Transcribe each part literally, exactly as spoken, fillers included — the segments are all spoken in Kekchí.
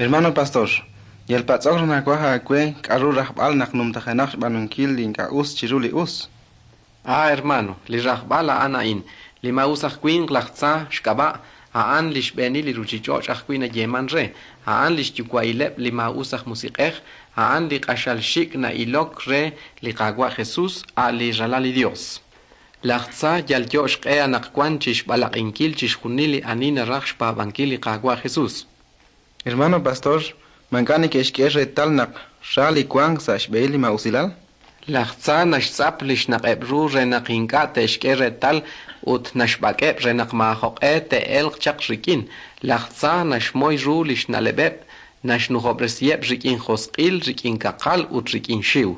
Hermano pastor, yal patz'ok raj nawaj aawe k'aru rajb'al naq numtajenaq xb'aanunkil li ink'a' us chiru li us. Ah, hermano, li rajb'al a'an a'in. Li maa'us aj winq laj tza xk'ab'a', a'an li xb'eenil li ruuchich'och' ajwi' nayeeman re, a'an li xyuwa'ileb' li maa'us aj musiq'ej, a'an li q'axal xik' na'ilok re li Qaawa' Jesus, a' li Ralal li Dios. Laj tza yalyo' xq'e anaqwan chi xb'alaq'inkil chixjunil li ani naraj xpaab'ankil li Qaawa' Jesus. Hermano pastor, ma ink'a' neke'xk'e reetal naq ra li wank sa' xb'ehil li maa'usilal? Laj tza naxtz'ap li xnaq'eb' ru re naq ink'a' te'xk'e reetal ut naxb'ak'eb' re naq maajoq'e te'elq chaq rik'in. Laj tza naxmoy ru li xna'leb'eb', naxnujob'resiheb' rik'in josq'il, rik'in kaqal ut rik'in xiw.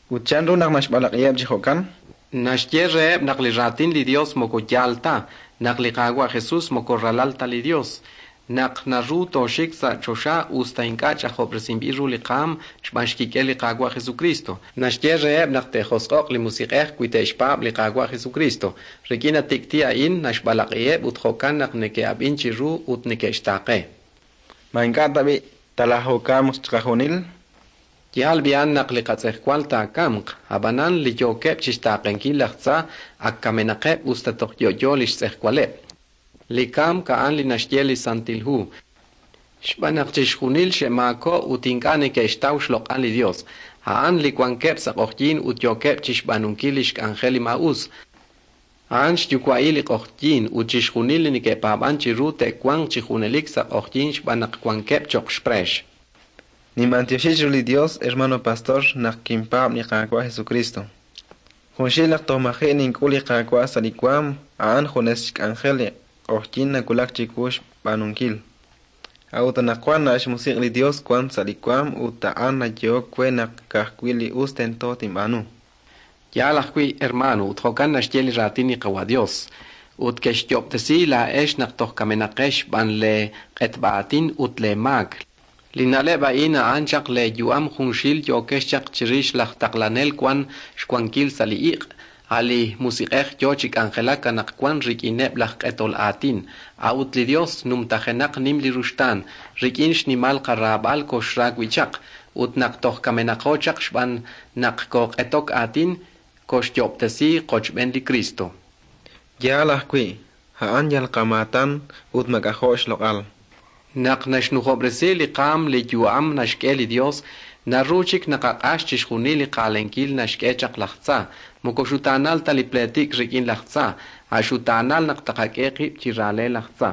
Ut chanru naq naxb'alaq'iheb' chi jo'kan? Naxye reheb' naq li raatin li Dios moko yaal ta, naq li Qaawa' Jesus moko ralal ta li Dios, naq naru tooxik sa' choxa us ta ink'a' ch'ajob'resinb'il ru li qaam xb'aan xkik'el li Qaawa' Jesucristo. Naxye reheb' naq te'josq'o'q li musiq'ej wi te'xpaab' li Qaawa' Jesucristo. Rik'in a tik'ti' a'in naxb'alaq'iheb' ut jo'kan naq neke'ab'in chiru ut neke'xtaaqe. Ma ink'a' tab'i' talajokamq chiqajunil? Yaal b'i'an naq li qatz'ejwal taakamq, ab'anan li yookeb' chixtaaqenkil laj tza ak kamenaqeb' us ta toj yo'yo li xtz'ejwaleb'. Li kamk a'an li naxye li Santil Hu. Xb'aan naq chixjunil xe'maako' ut ink'a' neke'xtaw xloq'al li Dios. A'an li wankeb' sa' q'oqyink ut yookeb' chixb'aanunkil li xk'anjel li maa'us. A'an xyuwa'il li q'oqyink ut chixjunil li neke'paab'an chiru te'wanq chi junelik sa' q'oqyink xb'aan naq wankeb' cho'q xpreex. Ninb'antioxi chiru li Dios, hermano pastor, naq kinpaab' li Qaawa' Jesucristo. Junxil naq toj maji' nink'ul li Qaawa' sa' li waam, a'an junes xk'anjel li q'oqyink nawulak chiwu xb'aanunkil. A'ut anaqwan a' xmusiq' li Dios wank sa' li waam ut a'an nayehok we naq ka'ajwi' li us tento tinb'aanu. Yaal ajwi', hermano, ut jo'kan naxye li raatin li Qawa' Dios. Ut kexxyoob'tesi laa'ex naq toj kamenaqex xb'aan lee q'etb'a aatin ut lee maak. Li na'leb' a'in a'an chaq leeyu'am junxil yookex chaq chirix laj taqlanel wan xwankil sa' li iq', a' li musiq'ej yo chi k'anjelak anaqwan rik'ineb' laj q'etol aatin. A'ut li Dios numtajenaq nim li ruxtaan, rik'in xnimal qaraab'al koxra wi' chaq, ut naq toj kamenaqo chaq xb'aan naq kooq'etok aatin, koxyoob'tesi qochb'een li Kristo. Yaal ajwi', a'an yal qamaatan ut mak'ajo' xloq'al. Naq naxnujob'resi li qaam li yu'am naxk'e li Dios, naru chik naqaq'ax chixjunil li qaalenkil naxk'e chaq laj tza. Moko xutaanal ta li pleetik rik'in laj tza, a' xutaanal naq taqak'e qib' chi raale laj tza.